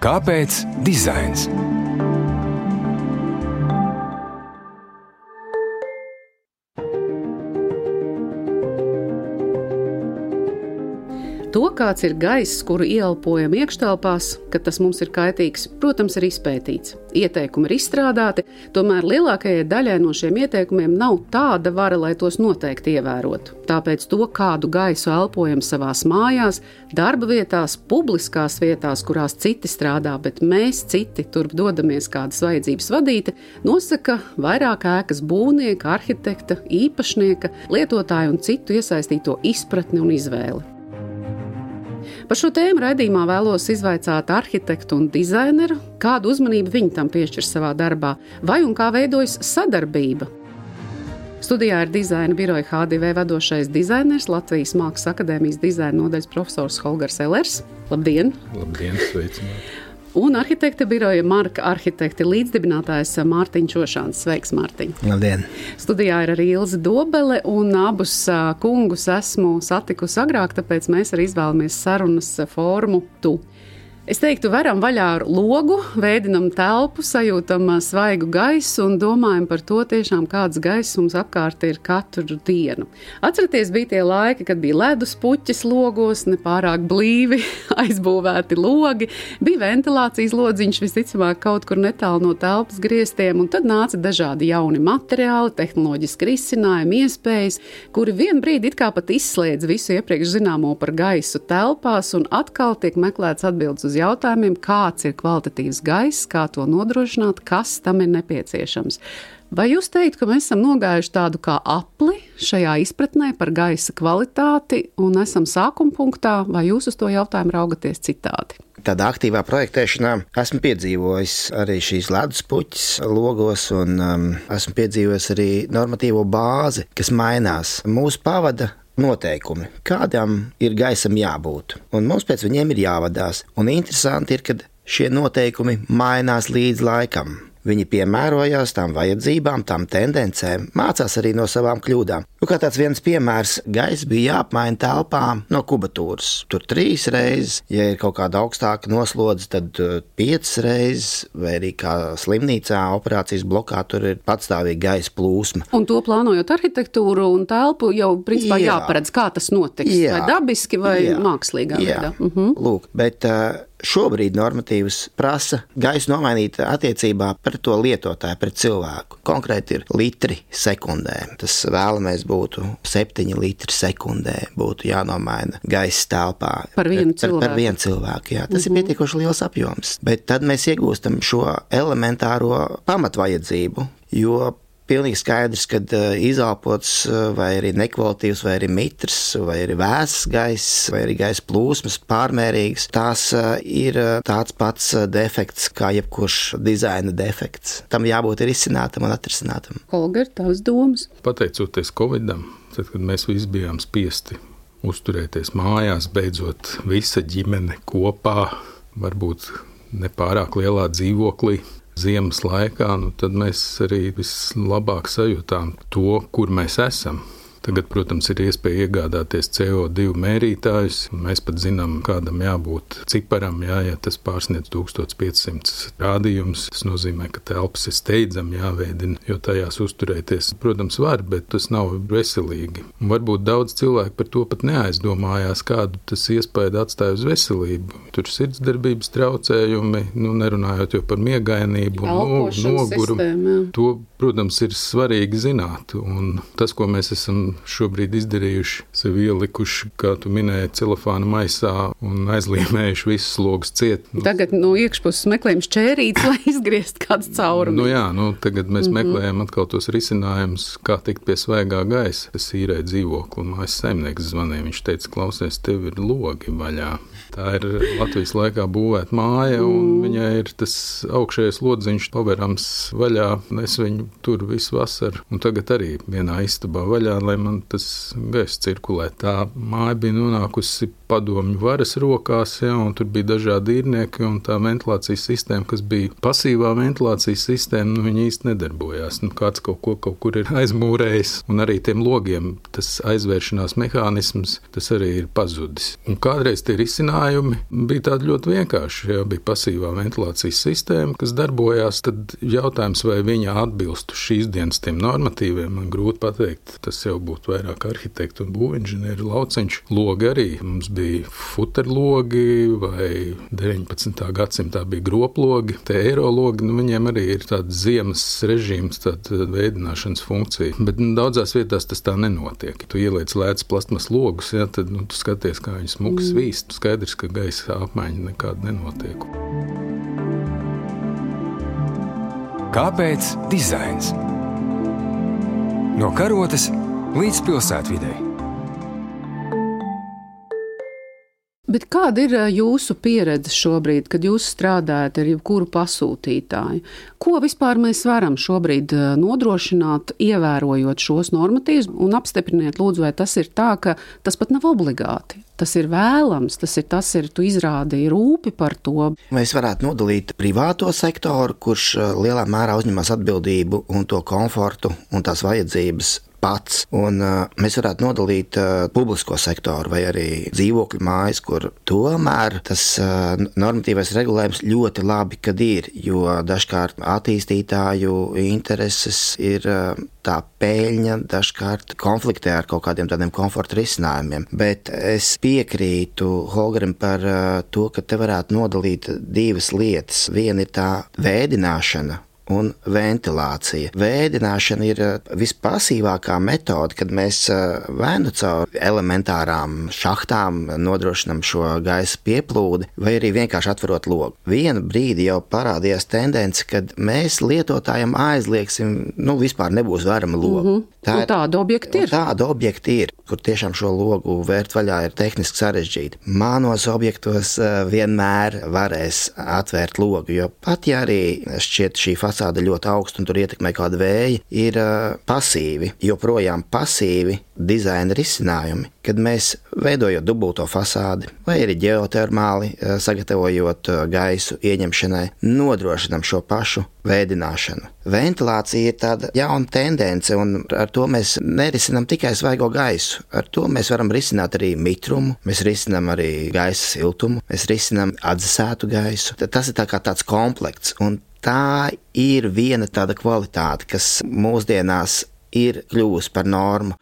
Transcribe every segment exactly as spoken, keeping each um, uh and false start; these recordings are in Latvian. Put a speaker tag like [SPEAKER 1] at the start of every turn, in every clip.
[SPEAKER 1] Kāpēc dizains?
[SPEAKER 2] To, kāds ir gaiss, kuru ieelpojam iekštelpās, ka tas mums ir kaitīgs, protams, ir izpētīts. Ieteikumi ir izstrādāti, tomēr lielākajai daļai no šiem ieteikumiem nav tāda vara, lai tos noteikti ievērotu. Tāpēc to, kādu gaisu elpojam savās mājās, darba vietās, publiskās vietās, kurās citi strādā, bet mēs citi turp dodamies kādas vajadzības vadīti, nosaka vairāk ēkas būvnieka, arhitekta, īpašnieka, lietotāju un citu iesaistīto izpratni un izvēli. Par šo tēmu raidījumā vēlos izvaicāt arhitektu un dizaineru, kādu uzmanību viņi tam piešķir savā darbā, vai un kā veidojas sadarbība. Studijā ir dizaina biroja H D V vadošais dizainers, Latvijas Mākslas akadēmijas dizaina nodaļas profesors Holgers Ellers. Labdien!
[SPEAKER 3] Labdien, sveicināti!
[SPEAKER 2] Un arhitekta biroja Marka arhitekta līdzdibinātājs Mārtiņš Ošāns. Sveiks, Mārtiņ!
[SPEAKER 4] Labdien!
[SPEAKER 2] Studijā ir arī Ilze Dobele, un abus kungus esmu satikusi agrāk, tāpēc mēs arī izvēlamies sarunas formu tu. Es teiktu, veram vaļā ar logu, vēdinam telpu, sajūtam svaigu gaisu un domājam par to tiešām, kāds gaiss mums apkārt ir katru dienu. Atceraties, bija tie laiki, kad bija ledus puķis logos, nepārāk blīvi aizbūvēti logi, bija ventilācijas lodziņš visticamāk kaut kur netālu no telpas griestiem, un tad nāca dažādi jauni materiāli, tehnoloģiski risinājumi, iespējas, kuri vien brīdi it kā pat izslēdz visu iepriekš zināmo par gaisu telpās, un atkal tiek meklēts atbildes uz jautājumiem, kāds ir kvalitatīvs gaiss, kā to nodrošināt, kas tam ir nepieciešams. Vai jūs teikt, ka mēs esam nogājuši tādu kā apli šajā izpratnē par gaisa kvalitāti un esam sākuma punktā, vai jūs uz to jautājumu raugaties citādi?
[SPEAKER 4] Tādā aktīvā projektēšanā esmu piedzīvojis arī šīs leduspuķis logos un um, esmu piedzīvojis arī normatīvo bāzi, kas mainās. Mūsu pavada noteikumi, kādam ir gaisam jābūt, un mums pēc viņiem ir jāvadās. Un interesanti ir, kad šie noteikumi mainās līdz laikam. Viņi piemērojās tām vajadzībām, tām tendencēm, mācās arī no savām kļūdām. Nu, kā tāds viens piemērs, gaiss bija jāapmaina telpām no kubatūras. Tur trīs reizes, ja ir kaut kāda augstāka noslodze, tad piecas reizes, vai arī kā slimnīcā, operācijas blokā, tur ir patstāvīga gaisa plūsma.
[SPEAKER 2] Un to plānojot arhitektūru un telpu, jau principā jā. jāparedz, kā tas notiks, jā. vai dabiski, vai jā. mākslīgā veidā. Mhm.
[SPEAKER 4] Lūk, bet uh, šobrīd normatīvas prasa gaisu nomainīt attiecībā pret to lietotāju, pret cilvēku. Konkrēti ir litri sekundē. Tas vēlamies būtu septiņi litri sekundē, būtu jānomaina gaisa telpā.
[SPEAKER 2] Par vienu cilvēku.
[SPEAKER 4] Par, par vienu cilvēku, jā. Tas mm-hmm. ir pietiekoši liels apjoms. Bet tad mēs iegūstam šo elementāro pamatvajadzību, jo pilnīgi skaidrs, ka izelpots vai arī nekvalitīvs, vai arī mitrs, vai arī vēss gaiss, vai arī gaisa plūsmas pārmērīgs, tās ir tāds pats defekts kā jebkurš dizaina defekts. Tam jābūt ir izcinātam un atrisinātam.
[SPEAKER 2] Holger, tavas domas?
[SPEAKER 3] Pateicoties Covidam, tad, kad mēs visi bijām spiesti uzturēties mājās, beidzot visa ģimene kopā, varbūt nepārāk lielā dzīvoklī, ziemas laikā, nu tad mēs arī vislabāk sajūtām to, kur mēs esam. Tagad, protams, ir iespēja iegādāties C O divi mērītājus. Mēs pat zinām, kādam jābūt ciparam, jā, ja tas pārsniedz tūkstoš piecsimt rādījumus. Tas nozīmē, ka telpas ir steidzami jāveidina, jo tajās uzturēties, protams, var, bet tas nav veselīgi. Un varbūt daudz cilvēku par to pat neaizdomājās, kādu tas iespēju atstāja uz veselību. Tur sirdsdarbības traucējumi, nu, nerunājot jau par miegainību un nogurumu. To, protams, ir svarīgi zināt. Un tas, ko mēs esam šobrīd izdarījuši, sevi ielikuši, kā tu minēji, celofāna maisā un aizlīmējuši visus logus ciet.
[SPEAKER 2] Tagad no iekšpuses meklējam šķērītes, lai izgriezt kāds caurumi.
[SPEAKER 3] Nu jā, nu tagad mēs mm-hmm. meklējam atkal tos risinājumus, kā tikt pie svaigā gaisa. Es īrēju dzīvokli un mājas saimnieks zvanīja. Viņš teica, klausies, tev ir logi vaļā. Tā ir Latvijas laikā būvēta māja, un mm. viņai ir tas augšējais lodziņš paverams vaļā. Es viņu tur visu vasaru, un tagad arī vienā istabā vaļā, lai man tas gaiss cirkulē. Tā māja bija nonākusi padomju varas rokās, ja, un tur bija dažādi īrnieki, un tā ventilācijas sistēma, kas bija pasīvā ventilācijas sistēma, nu, viņa īsti nedarbojās. Nu, kāds kaut ko kaut kur ir aizmūrējis, un arī tiem logiem tas aizvēršanās mehānisms, tas arī ir pazudis. Un kādreiz tie risinājumi bija tādi ļoti vienkārši, ja bija pasīvā ventilācijas sistēma, kas darbojās, tad jautājums, vai viņa atbilstu šīs dienas tiem normatīviem, man grūti pateikt. Tas jau būtu vairāk arhitektu un būvinženieru lauciņš. Logi arī. Mums bija futerlogi vai deviņpadsmitā gadsimtā bija groplogi. Te eirologi, nu, viņiem arī ir tāds ziemas režīms, tāda veidināšanas funkcija. Bet nu, daudzās vietās tas tā nenotiek. Tu ieliec lētas plastmas logus, ja, tad nu, tu skaties, kā viņi smuki svīst. Skaidrs, ka gaisa apmaiņa nekāda nenotiek.
[SPEAKER 1] Kāpēc dizains? No karotes līdz pilsētvidei.
[SPEAKER 2] Bet kāda ir jūsu pieredze šobrīd, kad jūs strādājat ar jebkuru pasūtītāju? Ko vispār mēs varam šobrīd nodrošināt, ievērojot šos normatīvus, un apstipriniet, lūdzu, vai tas ir tā, ka tas pat nav obligāti? Tas ir vēlams, tas ir, tas ir, tu izrādīji rūpi par to.
[SPEAKER 4] Mēs varētu nodalīt privāto sektoru, kurš lielā mērā uzņemas atbildību un to komfortu un tās vajadzības pats. Un uh, mēs varētu nodalīt uh, publisko sektoru vai arī dzīvokļu mājas, kur tomēr tas uh, normatīvais regulējums ļoti labi, kad ir, jo dažkārt attīstītāju intereses ir uh, tā peļņa, dažkārt konfliktē ar kaut kādiem tādiem komforta risinājumiem. Bet es piekrītu Holgerim par uh, to, ka te varētu nodalīt divas lietas. Viena ir tā vēdināšana un ventilācija. Vēdināšana ir vispasīvākā metode, kad mēs vai nu caur elementārām šahtām nodrošinam šo gaisa pieplūdi, vai arī vienkārši atverot logu. Vienu brīdi jau parādījās tendence, kad mēs lietotājiem aizliegsim, nu vispār nebūs varama loga.
[SPEAKER 2] Mm-hmm. Tā ir, tāda objekti ir.
[SPEAKER 4] Tāda objekti ir, kur tiešām šo logu vērt vaļā ir tehniski sarežģīti. Mānos objektos vienmēr varēs atvērt logu, jo pat ja arī šķiet šī fasāde ļoti augsta un tur ietekmē kāda vēja, ir uh, pasīvi, joprojām pasīvi dizaina risinājumi, kad mēs veidojot dubulto fasādi vai arī ģeotermāli, uh, sagatavojot uh, gaisu ieņemšanai, nodrošinam šo pašu vēdināšanu. Ventilācija ir tāda jauna tendence, un ar to mēs nerisinām tikai svaigo gaisu. Ar to mēs varam risināt arī mitrumu, mēs risinām arī gaisa siltumu, mēs risinām atdzesētu gaisu. Tas ir tā kā tāds komplekts, un tā ir viena tāda kvalitāte, kas mūsdienās ir kļuvusi par normu.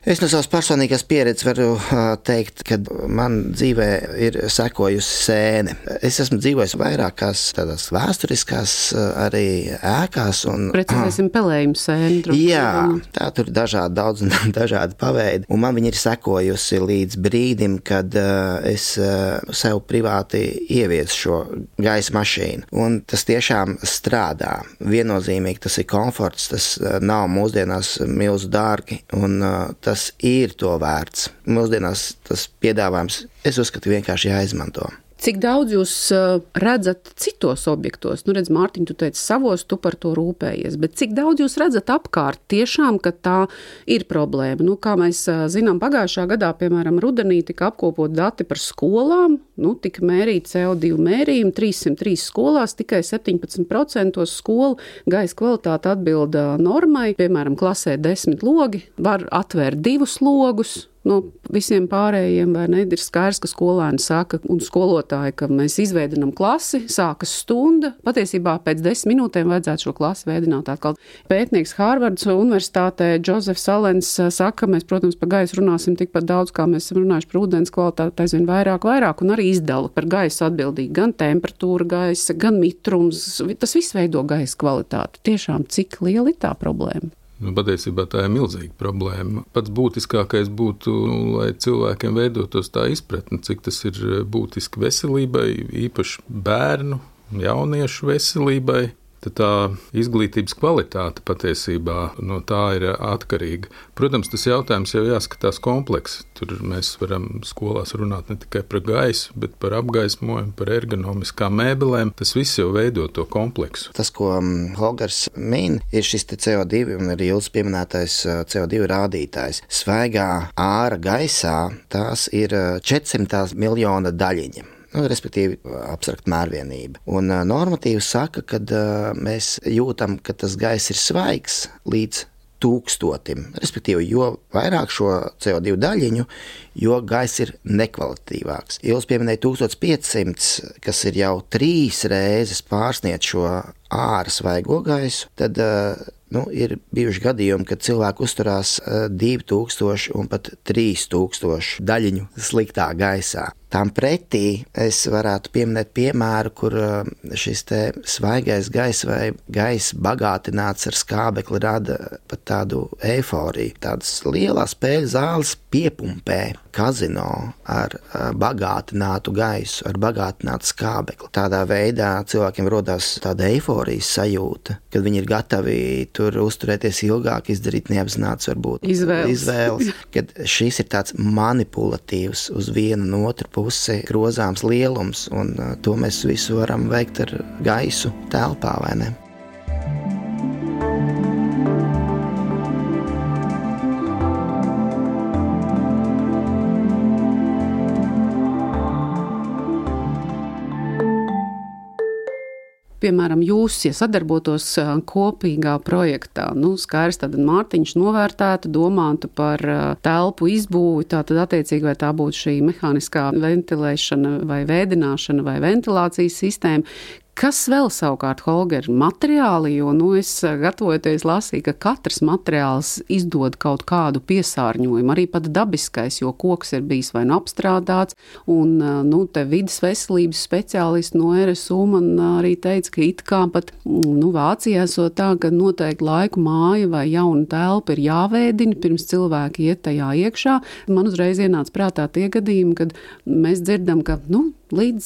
[SPEAKER 4] Es no savas personīgās pieredzes varu teikt, ka man dzīvē ir sekojusi sēne. Es esmu dzīvojis vairākās tādās vēsturiskās arī ēkās. Un,
[SPEAKER 2] Precizēsim pelējumu sēni.
[SPEAKER 4] Jā, tā tur dažādi, daudz un dažādi paveidi. Un man viņa ir sekojusi līdz brīdim, kad uh, es uh, sev privāti ieviesu šo gaisa mašīnu. Un tas tiešām strādā. Viennozīmīgi tas ir komforts, tas uh, nav mūsdienās milzu dārgi, un uh, tas Tas ir to vērts. Mūsdienās tas piedāvājums, es uzskatu, vienkārši jāizmanto.
[SPEAKER 2] Cik daudz jūs redzat citos objektos? Nu, redz, Mārtiņ, tu teici savos, tu par to rūpējies, bet cik daudz jūs redzat apkārt tiešām, ka tā ir problēma? Nu, kā mēs zinām, pagājušā gadā, piemēram, rudenī tika apkopot dati par skolām, nu, tika mērīt C O divi mērījumi, trīssimt trīs skolās, tikai septiņpadsmit procenti skolu gaisa kvalitāte atbilda normai, piemēram, klasē desmit logi, var atvērt divus logus. No visiem pārējiem, vai ne, ir skaidrs, ka skolēni saka un skolotāji, ka mēs izveidinām klasi, sākas stunda, patiesībā pēc desmit minūtēm vajadzētu šo klasi veidināt atkal. Pētnieks Hārvardas universitātē Džozefs Alens saka, mēs, protams, par gaisu runāsim tikpat daudz, kā mēs esam runājuši par ūdens kvalitāti, aizvien vairāk, vairāk, un arī izdala par gaisu atbildīgi gan temperatūra gaisa, gan mitrums, tas viss veido gaisa kvalitāti. Tiešām, cik liela ir tā problēma?
[SPEAKER 3] Nu, patiesībā tā ir milzīga problēma. Pats būtiskākais būtu, nu, lai cilvēkiem veidotos tā izpratne, cik tas ir būtiski veselībai, īpaši bērnu, jauniešu veselībai. tad tā izglītības kvalitāte patiesībā no tā ir atkarīga. Protams, tas jautājums jau jāskatās kompleksi. Tur mēs varam skolās runāt ne tikai par gaisu, bet par apgaismojumu, par ergonomiskām mēbelēm. Tas viss jau veido to kompleksu.
[SPEAKER 4] Tas, ko Holgers min, ir šis C O divi un arī Ilzes pieminētais C O divi rādītājs. Svaigā āra gaisā tās ir četrsimt miljona daļiņa. Nu, respektīvi, abstrakta mērvienība. Un uh, normatīvi saka, ka uh, mēs jūtam, ka tas gaiss ir svaigs līdz tūkstotim. Respektīvi, jo vairāk šo C O divi daļiņu, jo gaiss ir nekvalitatīvāks. Ilze pieminēja tūkstoš piecsimt, kas ir jau trīs reizes pārsniedz šo āra svaigo gaisu, tad uh, nu, ir bijuši gadījumi, kad cilvēki uzturās divi tūkstoši un pat trīs tūkstoši daļiņu sliktā gaisā. Tām pretī es varētu pieminēt piemēru, kur šis te svaigais gaiss vai gaiss bagātināts ar skābekli rada pat tādu eiforiju. Tādas lielās spēļu zāles piepumpē kazino ar bagātinātu gaisu, ar bagātinātu skābekli. Tādā veidā cilvēkiem rodās tāda eiforijas sajūta, kad viņi ir gatavi tur uzturēties ilgāk, izdarīt neapzināts varbūt
[SPEAKER 2] izvēles,
[SPEAKER 4] izvēles kad šis ir tāds manipulatīvs uz vienu un otru pusi grozāms lielums, un to mēs visu varam veikt ar gaisu telpā, vai ne?
[SPEAKER 2] Piemēram, jūs, ja sadarbotos kopīgā projektā, nu, skaidrs, tad Mārtiņš novērtētu, domātu par telpu izbūvi, tātad attiecīgi, vai tā būtu šī mehāniskā ventilēšana vai vēdināšana vai ventilācijas sistēma. Kas vēl savukārt, Holger, materiāli, jo, nu, es gatavojoties lasīju, ka katrs materiāls izdod kaut kādu piesārņojumu, arī pat dabiskais, jo koks ir bijis vai nu apstrādāts, un, nu, te vidas veselības speciālisti no R S U man arī teica, ka it kā pat, nu, Vācijā esot tā, ka noteikti laiku māja vai jauna telpa ir jāvēdina, pirms cilvēki iet tajā iekšā. Man uzreiz ienāca prātā tie gadījumi, kad mēs dzirdam, ka, nu, līdz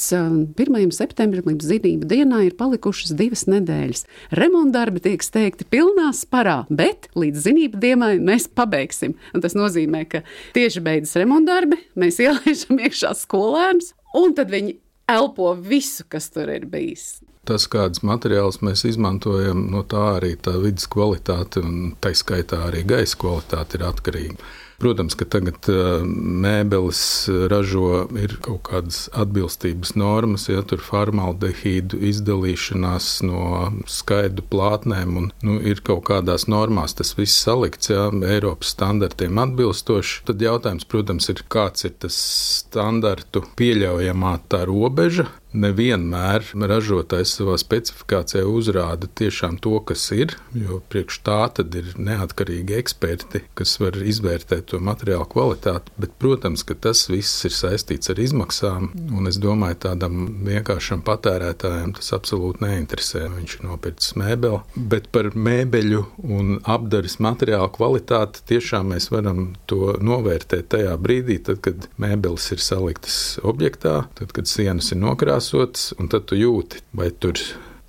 [SPEAKER 2] pirmajam septembrim, līdz zinību dienā ir palikušas divas nedēļas. Remontdarbi tiek steigti pilnā sparā, bet līdz zinību dienai mēs pabeigsim. Un tas nozīmē, ka tieši beidzas remontdarbi, mēs ielaižam iekšā skolēnus, un tad viņi elpo visu, kas tur ir bijis.
[SPEAKER 3] Tas, kādas materiālus mēs izmantojam, no tā arī tā vidas kvalitāte un tai skaitā arī gaisa kvalitāte ir atkarīga. Protams, ka tagad mēbeles ražo ir kaut kādas atbilstības normas, ja tur formaldehīdu izdalīšanās no skaidru plātnēm, un nu, ir kaut kādās normās tas viss salikts, ja, Eiropas standartiem atbilstoši. Tad jautājums, protams, ir, kāds ir tas standartu pieļaujamā tā robeža. Nevienmēr ražotājs savā specifikācijā uzrāda tiešām to, kas ir, jo priekš tā tad ir neatkarīgi eksperti, kas var izvērtēt to materiālu kvalitāti, bet, protams, ka tas viss ir saistīts ar izmaksām, un es domāju, tādam vienkāršam patērētājam tas absolūti neinteresē. Viņš ir nopircis mēbeli, bet par mēbeļu un apdares materiālu kvalitāti tiešām mēs varam to novērtēt tajā brīdī, tad, kad mēbeles ir saliktas objektā, tad, kad sienas ir nokrāsotas, un tad tu jūti, vai tur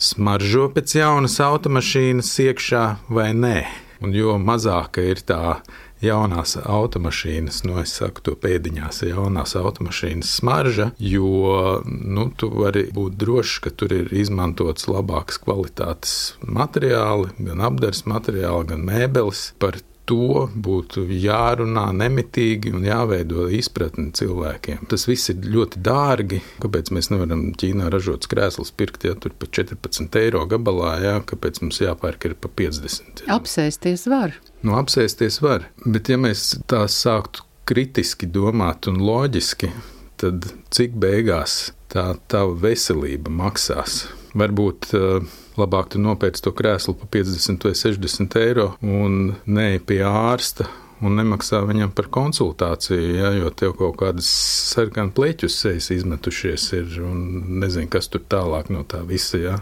[SPEAKER 3] smaržo pēc jaunas automašīnas iekšā vai nē. Un jo mazāka ir tā jaunās automašīnas, nu es saku to pēdiņās, jaunās automašīnas smarža, jo nu, tu vari būt drošs, ka tur ir izmantots labākas kvalitātes materiāli, gan apdares materiāli, gan mēbeles. Par to būtu jārunā nemitīgi un jāveido izpratni cilvēkiem. Tas viss ir ļoti dārgi. Kāpēc mēs nevaram Ķīnā ražotas krēslas pirkt, ja tur pa četrpadsmit eiro gabalā, ja? Kāpēc mums jāpērk ir pa piecdesmit?
[SPEAKER 2] Apsēsties var.
[SPEAKER 3] Nu, apsēsties var. Bet ja mēs tā sāktu kritiski domāt un loģiski, tad cik beigās tā tava veselība maksās? Varbūt uh, labāk tu nopērc to krēslu pa piecdesmit vai sešdesmit eiro un neej pie ārsta un nemaksā viņam par konsultāciju, ja, jo tev kaut kādas sarkanu pleķus sejas izmetušies ir un nezinu, kas tur tālāk no tā visa. Ja.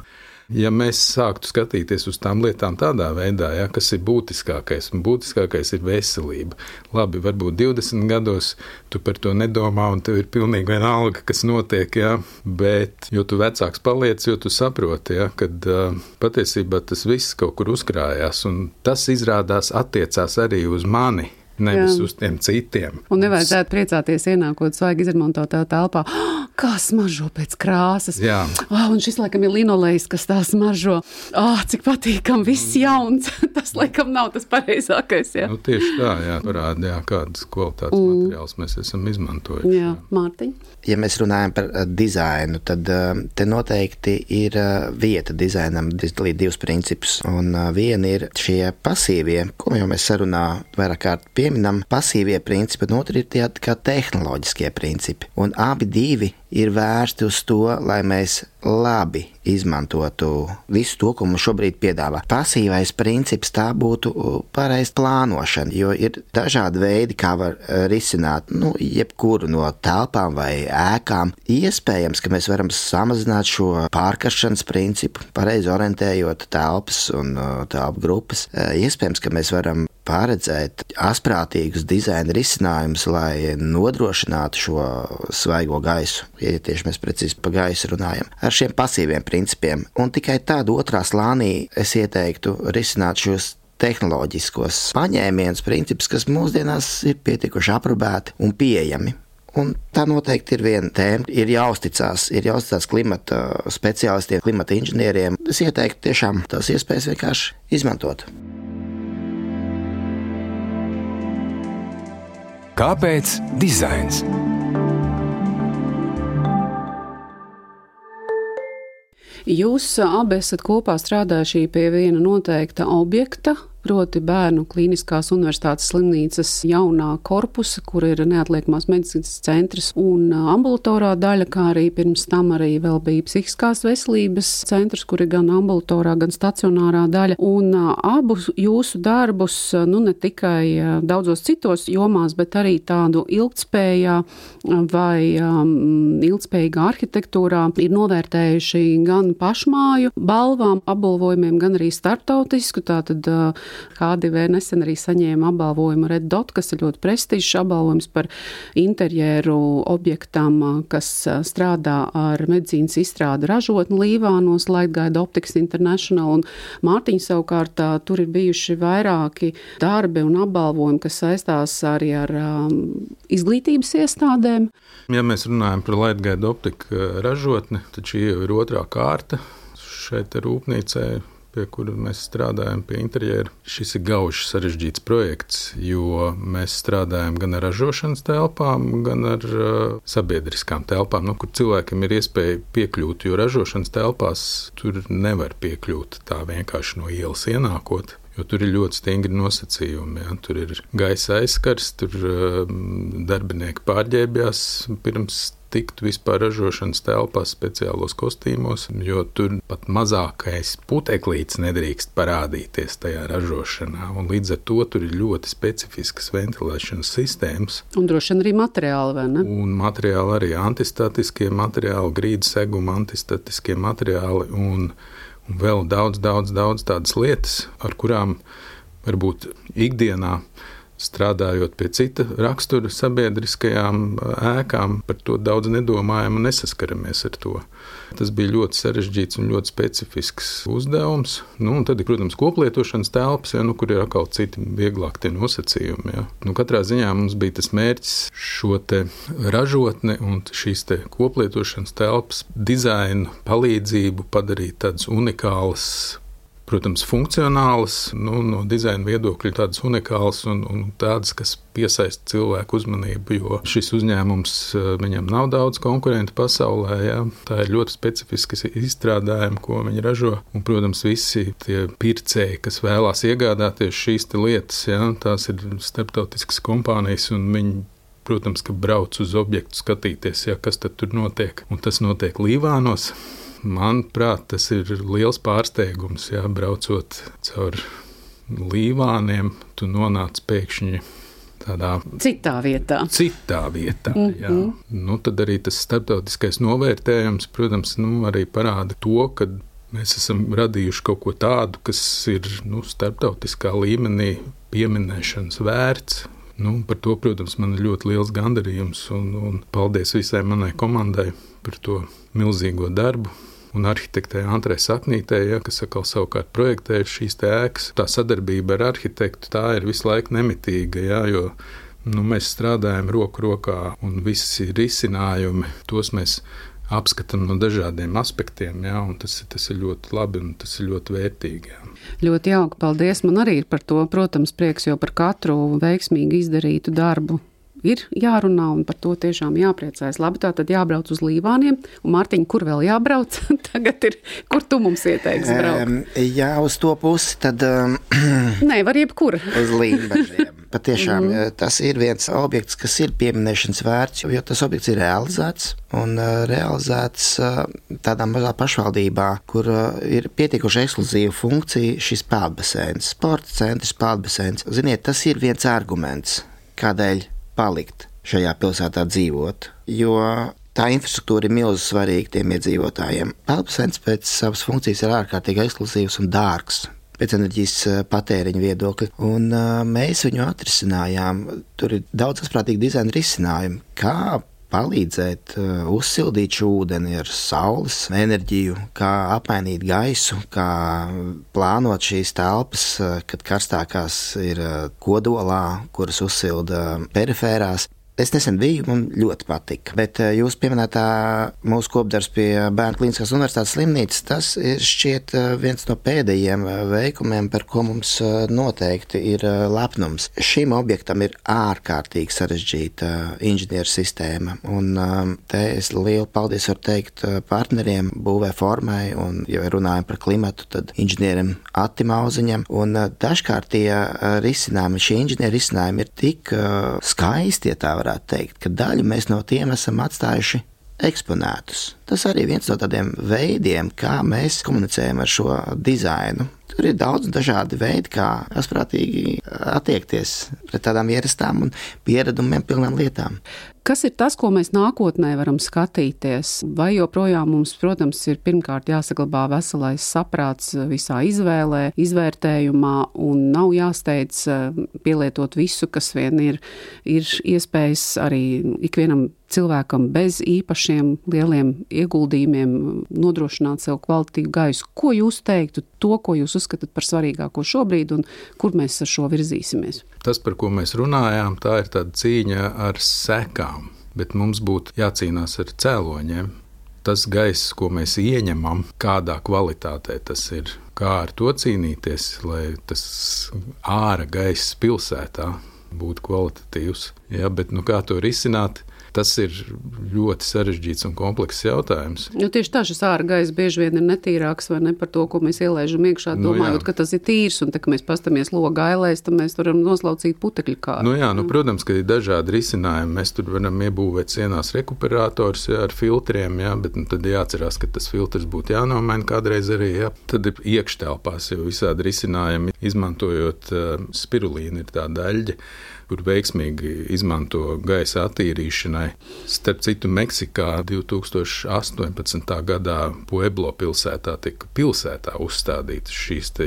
[SPEAKER 3] Ja mēs sāktu skatīties uz tām lietām tādā veidā, ja, kas ir būtiskākais, un būtiskākais ir veselība. Labi, varbūt divdesmit gados tu par to nedomā, un tev ir pilnīgi vienalga, kas notiek, ja, bet jo tu vecāks paliec, jo tu saproti, ja, kad uh, patiesībā tas viss kaut kur uzkrājās, un tas izrādās attiecās arī uz mani. Nevis Jā. Uz tiem citiem.
[SPEAKER 2] Un nevajadzētu priecāties ienākot svaigi izremontotā telpā. Oh, kā smaržo pēc krāsas.
[SPEAKER 3] Jā.
[SPEAKER 2] Oh, un šis, laikam, ir linolejs, kas tā smaržo. Oh, cik patīkam, viss jauns. Tas, laikam, nav tas pareizākais. Jā.
[SPEAKER 3] Nu, tieši tā, jā, parāda, jā, kādas kvalitātes mm. materiāls mēs esam izmantojuši.
[SPEAKER 2] Jā, Mārtiņ.
[SPEAKER 4] Ja mēs runājam par uh, dizainu, tad uh, te noteikti ir uh, vieta dizainam izdalīt divus principus. Un uh, viena ir šie pasīvie, ko jau mēs sarunā vairāk kārt pieminam, pasīvie principi, un otri ir tie kā tehnoloģiskie principi. Un abi divi ir vērsti uz to, lai mēs labi izmantotu visu to, ko mums šobrīd piedāvā. Pasīvais princips tā būtu pareiz plānošana, jo ir dažādi veidi, kā var risināt, nu, jebkuru no telpām vai ēkām. Iespējams, ka mēs varam samazināt šo pārkaršanas principu, pareizi orientējot telpas un telpu grupas. Iespējams, ka mēs varam paredzēt asprātīgus dizaina risinājumus, lai nodrošinātu šo svaigo gaisu, ja tieši mēs precīzi pa gaisu runājam, ar šiem pasīviem principiem. Un tikai tad otrā slānī es ieteiktu risināt šos tehnoloģiskos paņēmienus, principus, kas mūsdienās ir pietikuši aprobēti un pieejami. Un tā noteikti ir viena tēma, ir jāuzticās, ir jāuzticās klimata speciālistiem, klimata inženieriem. Es ieteiktu tiešām tās iespējas vienkārši izmantot.
[SPEAKER 1] Kāpēc dizains?
[SPEAKER 2] Jūs abi esat kopā strādājuši pie viena noteikta objekta, proti bērnu klīniskās universitātes slimnīcas jaunā korpusa, kur ir neatliekamās medicīnas centrs un ambulatorā daļa, kā arī pirms tam arī vēl bija psihiskās veselības centrs, kur ir gan ambulatorā, gan stacionārā daļa. Un abus jūsu darbus, nu ne tikai daudzos citos jomās, bet arī tādu ilgtspējā vai um, ilgtspējīgā arhitektūrā ir novērtējuši gan pašmāju balvām, apbalvojumiem, gan arī starptautisku, tātad H D V nesen arī saņēma apbalvojumu Red Dot, kas ir ļoti prestižs apbalvojums par interjeru objektam, kas strādā ar medicīnas izstrādi ražotni Līvānos, Lightguide Optics International, un Mārtiņa savukārt tur ir bijuši vairāki darbi un apbalvojumi, kas saistās arī ar um, izglītības iestādēm.
[SPEAKER 3] Ja mēs runājam par Lightguide Optiku ražotni, tad šī jau ir otrā kārta šeit rūpnīcē, pie kura mēs strādājam pie interjera. Šis ir gauži sarežģīts projekts, jo mēs strādājam gan ar ražošanas telpām, gan ar uh, sabiedriskām telpām, nu, kur cilvēkiem ir iespēja piekļūt, jo ražošanas telpās tur nevar piekļūt tā vienkārši no ielas ienākot. Jo tur ir ļoti stingri nosacījumi. Ja? Tur ir gaisa aizskars, tur uh, darbinieki pārģērbjās pirms tikt vispār ražošanas telpās speciālos kostīmos, jo tur pat mazākais puteklīts nedrīkst parādīties tajā ražošanā. Un līdz ar to tur ir ļoti specifiskas ventilēšanas sistēmas.
[SPEAKER 2] Un droši vien arī materiāli, vai ne?
[SPEAKER 3] Un materiāli arī antistatiskie materiāli, grīdas seguma antistatiskie materiāli un, un vēl daudz, daudz, daudz tādas lietas, ar kurām varbūt ikdienā strādājot pie cita rakstura sabiedriskajām ēkām, par to daudz nedomājam un nesaskaramies ar to. Tas bija ļoti sarežģīts un ļoti specifisks uzdevums. Nu, un tad ir, protams, koplietošanas telpas, ja, nu, kur ir atkal citi vieglāk tie nosacījumi. Ja. Nu, katrā ziņā mums bija tas mērķis šo te ražotni un šīs te koplietošanas telpas dizainu palīdzību padarīt tādas unikālas, protams, funkcionālas, nu, no dizaina viedokļa tādas unikālas un, un tādas, kas piesaista cilvēku uzmanību, jo šis uzņēmums, viņam nav daudz konkurentu pasaulē, jā. Tā ir ļoti specifiski izstrādājumi, ko viņi ražo, un, protams, visi tie pircēji, kas vēlās iegādāties šīs te lietas, jā, tās ir starptautiskas kompānijas, un viņi, protams, ka brauc uz objektu skatīties, jā, kas tad tur notiek, un tas notiek Līvānos. Manuprāt, tas ir liels pārsteigums, jā, braucot caur Līvāniem, tu nonāc pēkšņi tādā
[SPEAKER 2] citā vietā.
[SPEAKER 3] Citā vietā, mm-hmm. jā. Nu, tad arī tas starptautiskais novērtējums, protams, nu, arī parāda to, ka Mēs esam radījuši kaut ko tādu, kas ir nu, starptautiskā līmenī pieminēšanas vērts. Nu, par to, protams, man ir ļoti liels gandarījums un, un paldies visai manai komandai par to milzīgo darbu. Un arhitektē Antrai Saknītē, ja, kas atkal savukārt projektē šīs te ēkas. Tā sadarbība ar arhitektu tā ir visu laiku nemitīga, ja, jo nu, mēs strādājam roku rokā un visi risinājumi, tos mēs apskatām no dažādiem aspektiem, ja, un tas, tas ir ļoti labi un tas ir ļoti vērtīgi. Ja.
[SPEAKER 2] Ļoti jauki, paldies. Man arī ir par to, protams, prieks, jo par katru veiksmīgi izdarītu darbu ir jārunā un par to tiešām jāpriecājas. Labi, tā tad jābrauc uz Līvāniem. Un, Mārtiņ, kur vēl jābrauc? Tagad ir, kur tu mums ieteiksi braukt?
[SPEAKER 4] Um, jā, uz to pusi, tad... Um,
[SPEAKER 2] Nē, var jebkur.
[SPEAKER 4] Uz Līmbažiem. Patiešām mm. tas ir viens objekts, kas ir pieminēšanas vērts, jo tas objekts ir realizēts un uh, realizēts uh, tādā mazā pašvaldībā, kur uh, ir pietiekuši ekskluzīva funkcija šis peldbaseins, sporta centrs, peldbaseins. Ziniet, tas ir viens arguments, kādēļ palikt šajā pilsētā dzīvot, jo tā infrastruktūra ir milzīgi svarīga tiem iedzīvotājiem. Peldbaseins pēc savas funkcijas ir ārkārtīgi ekskluzīvs un dārgs pēc enerģijas patēriņa viedokļa, un uh, mēs viņu atrisinājām. Tur ir daudz asprātīgi dizaina risinājumi, kā palīdzēt uh, uzsildīt šo ūdeni ar saules enerģiju, kā apmainīt gaisu, kā plānot šīs telpas, uh, kad karstākās ir uh, kodolā, kuras uzsilda perifērās. Es nesen biju, man ļoti patika, bet jūs pieminētā mūsu kopdarbs pie Bērnu klīniskās universitātes slimnīcas, tas ir šķiet viens no pēdējiem veikumiem, par ko mums noteikti ir lepnums. Šim objektam ir ārkārtīgi sarežģīta inženieru sistēma, un te es lielu paldies varu teikt partneriem būvē formai, un, ja runājam par klimatu, tad inženierim Attim Auziņam, un dažkārt tie risinājumi, šie inženieru risinājumi ir tik skaisti, ja tā varētu teikt, ka daļu mēs no tiem esam atstājuši eksponētus. Tas arī viens no tādiem veidiem, kā mēs komunicējam ar šo dizainu. Tur ir daudz dažādi veidi, kā asprātīgi attiekties pret tādām ierastām un pieredumiem pilnām lietām.
[SPEAKER 2] Kas ir tas, ko mēs nākotnē varam skatīties? Vai joprojām mums, protams, ir pirmkārt jāsaglabā veselais saprāts visā izvēlē, izvērtējumā un nav jāsteidz pielietot visu, kas vien ir, ir iespējas arī ikvienam cilvēkam bez īpašiem lieliem ieguldījumiem nodrošināt sev kvalitīvu gaisu. Ko jūs teiktu, to, ko jūs uzskatāt par svarīgāko šobrīd un kur mēs ar šo virzīsimies?
[SPEAKER 3] Tas, par ko mēs runājām, tā ir tāda cīņa ar sekām, bet mums būtu jācīnās ar cēloņiem. Tas gaiss, ko mēs ieņemam, kādā kvalitātē tas ir, kā ar to cīnīties, lai tas āra gaiss pilsētā būtu kvalitatīvs. Ja, bet nu, kā to risināt? Tas ir ļoti sarežģīts un komplekss jautājums.
[SPEAKER 2] Jo tieši tā, šis ārā gaiss bieži vien ir netīrāks vai ne par to, ko mēs ielaižam iekšā,
[SPEAKER 3] nu,
[SPEAKER 2] domājot, jā. Ka tas ir tīrs, un tā, ka mēs pastamies loga ailēs, tad mēs varam noslaucīt putekļu kāru.
[SPEAKER 3] Nu jā, nu, protams, ka ir dažādi risinājumi. Mēs tur varam iebūvēt sienās rekuperators jā, ar filtriem, jā, bet nu, tad jāatcerās, ka tas filtrs būtu jānomaina kādreiz arī. Jā. Tad ir iekštelpās jau visādi risinājumi, izmantojot uh, spirulīnu, ir tā daļģe, kur veiksmīgi izmanto gaisa attīrīšanai. Starp citu, Meksikā divi tūkstoši astoņpadsmitā gadā Pueblo pilsētā tika pilsētā uzstādītas šīs te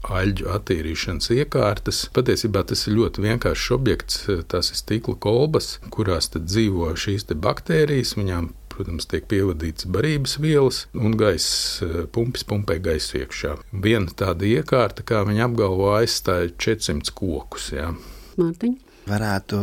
[SPEAKER 3] aļģu attīrīšanas iekārtas. Patiesībā tas ir ļoti vienkāršs objekts, tās ir stikla kolbas, kurās tad dzīvo šīs te baktērijas, viņām protams, tiek pievadīts barības vielas un gaiss pumpis pumpē gaisu iekšā. Viena tāda iekārta, kā viņi apgalvo, aizstāja četrsimt kokus. Jā.
[SPEAKER 2] Mārtiņ?
[SPEAKER 4] Varētu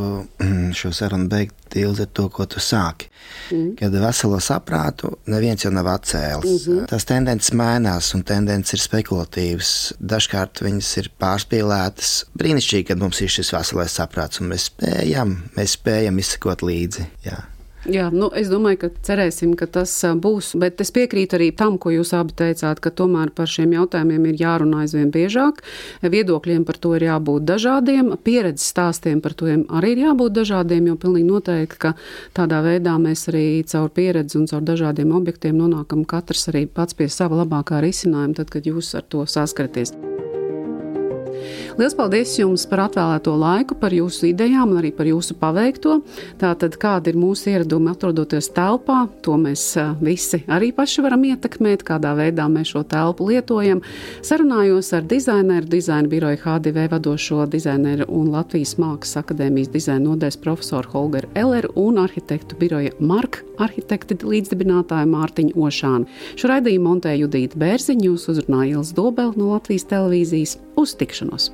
[SPEAKER 4] šo sarunu beigt Ilze ar to, ko tu sāki. Mm. Kad veselo saprātu neviens jau nav atcēlis. Mm-hmm. Tās tendences mainās un tendences ir spekulatīvas. Dažkārt viņas ir pārspīlētas. Brīnišķīgi, kad mums ir šis veselais saprāts un mēs spējam, mēs spējam izsekot līdzi. Jā.
[SPEAKER 2] Jā, nu, es domāju, ka cerēsim, ka tas būs, bet es piekrītu arī tam, ko jūs abi teicāt, ka tomēr par šiem jautājumiem ir jārunā aizvien biežāk, viedokļiem par to ir jābūt dažādiem, pieredzes stāstiem par to arī ir jābūt dažādiem, jo pilnīgi noteikti, ka tādā veidā mēs arī caur pieredzi un caur dažādiem objektiem nonākam katrs arī pats pie sava labākā risinājuma, tad, kad jūs ar to saskaraties. Liels paldies jums par atvēlēto laiku, par jūsu idejām un arī par jūsu paveikto. Tātad, kāda ir mūsu ieradumi atrodoties telpā, to mēs visi arī paši varam ietekmēt, kādā veidā mēs šo telpu lietojam. Sarunājos ar dizaineru, dizaina biroja H D V vadošo dizaineru un Latvijas Mākslas akadēmijas dizaina nodaļas profesoru Holgeru Elleru un arhitektu biroja Mark arhitekti līdzdibinātāju Mārtiņu Ošānu. Šo raidījumu montēja Judīta Bērziņa, jūs uzrunāja Ilze Dobele no Latvijas televīzijas. Uz tikšanos!